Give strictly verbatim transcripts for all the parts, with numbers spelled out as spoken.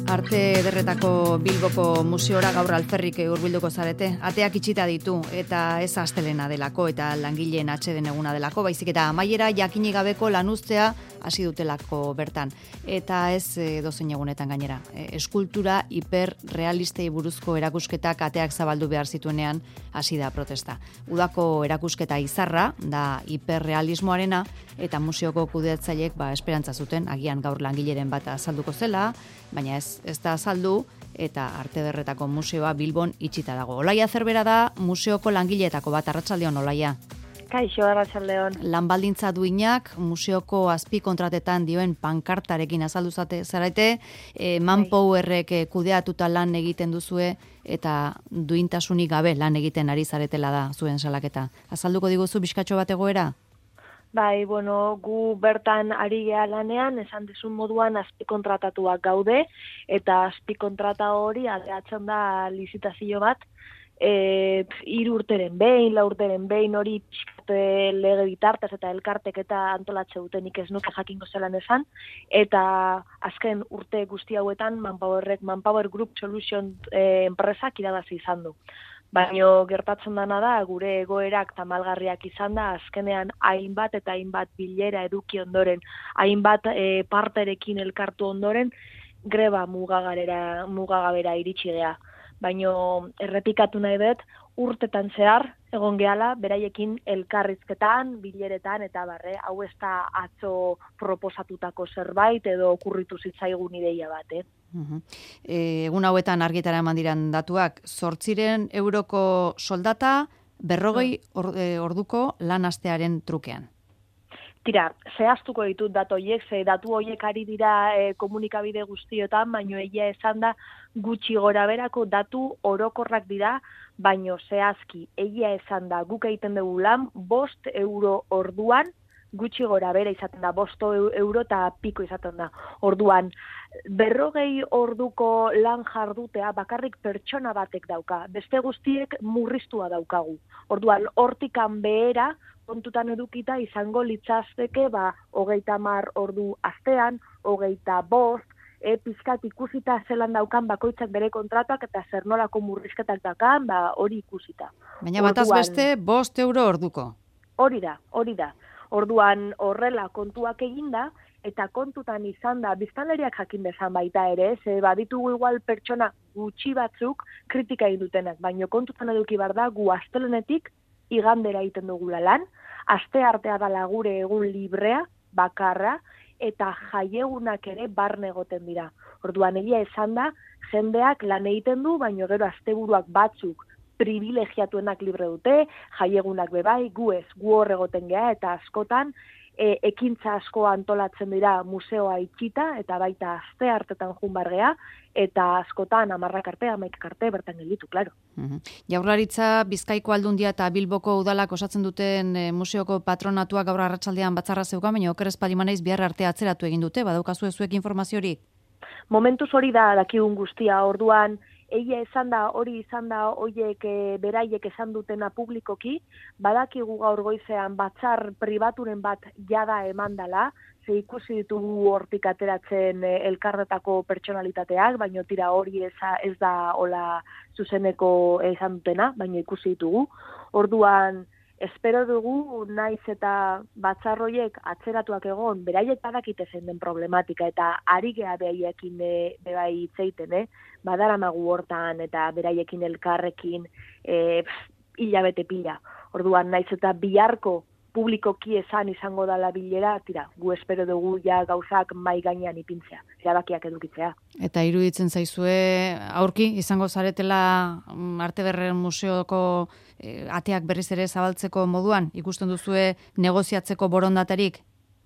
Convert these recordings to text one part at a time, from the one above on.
Arte Ederretako Bilboko museora gaur alferrik hurbilduko zarete. Ateak itxita ditu eta ez astelena delako eta langileen atseden eguna delako, baizik eta amaiera jakinik gabeko lanuztea hasi dutelako bertan. Eta ez edozein egunetan gainera. Eskultura hiperrealistei buruzko erakusketak ateak zabaldu behar zituenean hasi da protesta. Udako erakusketa izarra da hiperrealismoarena eta museoko kudeatzaileek ba esperantza zuten agian gaur langileren bat azalduko zela, baina ez ez da azaldu eta Arte Ederretako museoa Bilbon itxita dago. Olaia Zerbera da museoko langileetako bat. Arratsaldeon, Olaia. Kaixo, arratsaldeon. Lan baldintza duinak museoko azpikontratetan dioen pankartarekin azaldu zarete, e, Manpowerrek kudeatuta lan egiten duzue eta duintasunik gabe lan egiten ari zaretela da zuen salaketa. Azalduko diguzu bizkatxo bat egoera? Bai, bueno, gu bertan ari gea lanean, esan dizun moduan azpikontratatuak gaude, eta azpikontrata hori aldeatzen da lizitazio bat, e, hiru urteren behin, lau urteren behin hori pixkate lege bitartez eta elkartek eta antolatze dutenik ez nuke jakingo zelan esan, eta azken urte guzti hauetan Manpowerrek, Manpower Group Solution e, enpresak irabazi izan du. Baina gertatzen dana da, gure egoerak tamalgarriak izan da, azkenean hainbat eta hainbat bilera eduki ondoren, hainbat e, parterekin elkartu ondoren, greba mugagarera, mugagabera iritsi gea. Baina errepikatu nahi dut, urtetan zehar, egon gehala, beraiekin elkarrizketan, bileretan, eta barre, hau ez da atzo proposatutako zerbait, edo okurritu zitzaigun ideia bat, eh? Uh-huh. E, egun hauetan argitara eman diran datuak, zortziren euroko soldata, berrogei or, e, orduko lan astearen trukean. Tira, zehaztuko ditut datu horiek, ze datu horiek ari dira e, komunikabide guztiotan, baino egia esan da gutxi gora berako datu orokorrak dira, baino zehazki egia esan da guk egiten dugu lan bost euro orduan, gutxi gora bera izaten da, bosto euro eta piko izaten da. Orduan, berrogei orduko lan jardutea bakarrik pertsona batek dauka, beste guztiek murriztua daukagu. Orduan, hortikan behera, kontutan edukita izango litzazteke, ba, hogeita hamar ordu astean, hogeita bost, e, pizkat ikusita zelan daukan bakoitzak bere kontratuak eta zer nolako murrizketak daukan, ba, hori ikusita. Baina bataz beste, bost euro orduko. Hori da, hori da. Orduan horrela kontuak eginda, eta kontutan izan da, biztanleriak jakin bezan baita ere, ze baditugu igual pertsona gutxi batzuk kritika egin dutenak, baina kontutan eduki bar da, gu astelenetik igandera egiten dugula lan, aste artea dala gure egun librea, bakarra, eta jaiegunak ere barne egoten dira. Orduan egia esan da, jendeak lan egiten du, baina gero asteburuak batzuk privilegiatuenak libre dute, jaiegunak bebai, gu ez, gu hor egoten geha, eta askotan, e, ekintza asko antolatzen dira museoa itxita, eta baita aste hartetan junbar geha, eta askotan amarrak arte, amaikak arte, bertan gelditu, klaro. Uh-huh. Jaurlaritza, Bizkaiko Aldundia eta Bilboko udalak osatzen duten e, museoko patronatuak gaur arratsaldean batzarra zeukan, baina oker ez palimanaiz bihar arte atzeratu egin dute, badaukazu zuek informaziorik? Momentuz hori da dakigun guztia, orduan, egia esan da, hori izan da, hoiek e, beraiek esan dutena publikoki, badakigu gaur goizean batzar pribaturen bat jada emandala, ze ikusi ditugu hortik ateratzen e, elkarretako pertsonalitateak, baina tira hori eza, ez da hola zuzeneko esan dutena, baina ikusi ditugu. Orduan, espero dugu naiz eta batzarroiek atzeratuak egon, beraiek badakite zein den problematika eta ari geha beraiekin e, bebai itzeiten, eh? Badaramagu hortan eta beraiekin elkarrekin e, hilabete pila. Orduan naiz eta biharko publikoki esan izango dala bilera, tira, gu espero dugu ja gauzak mai gainean ipintzea, erabakiak edukitzea. Eta iruditzen zaizue, aurki, izango zaretela Arte Ederren museoko e, ateak berriz ere zabaltzeko moduan, ikusten duzue negoziatzeko borondaterik?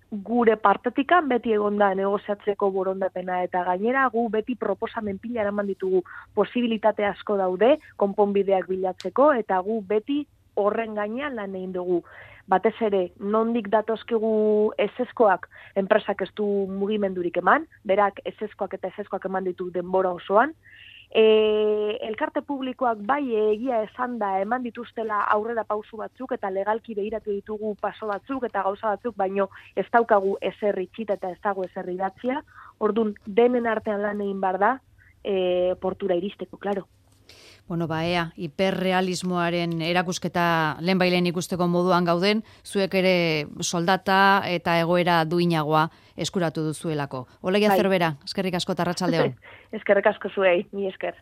Gure partetikan beti egonda negoziatzeko borondapena eta gainera gu beti proposamen pila eraman ditugu, posibilitate asko daude, konponbideak bilatzeko, eta gu beti horren gainean lan egin dugu. Batez ere, nondik datozkigu ezeskoak, enpresak ez du mugimendurik eman, berak ezeskoak eta ezeskoak eman ditu denbora osoan. E, elkarte publikoak bai egia esan da eman dituztela aurrera pausu batzuk eta legalki behiratu ditugu paso batzuk eta gauza batzuk, baino ez daukagu ezer itxita eta ez dago ezer idatzia. Ordun denen artean lan egin bar da, e, portura iristeko, klaro. Bueno, ba, ea, hiperrealismoaren erakusketa lehen bailen ikusteko moduan gauden, zuek ere soldata eta egoera duinagoa eskuratu duzuelako. Olegia Bai. Zerbera, eskerrik asko eta arratsalde on. Eskerrik asko zuei, mi esker.